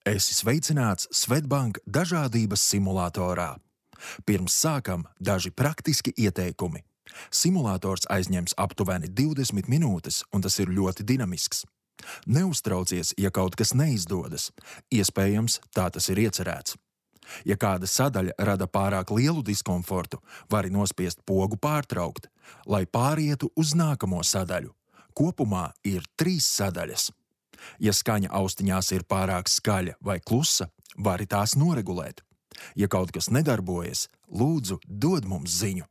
Esi sveicināts Swedbank dažādības simulatorā. Pirms sākam daži praktiski ieteikumi. Simulators aizņems aptuveni 20 minūtes, un tas ir ļoti dinamisks. Neuztraucies, ja kaut kas neizdodas. Iespējams, tā tas ir iecerēts. Ja kāda sadaļa rada pārāk lielu diskomfortu, vari nospiest pogu pārtraukt, lai pārietu uz nākamo sadaļu. Kopumā ir 3 sadaļas. Ja skaņa austiņās ir pārāk skaļa vai klusa, vari tās noregulēt. Ja kaut kas nedarbojas, lūdzu, dod mums ziņu.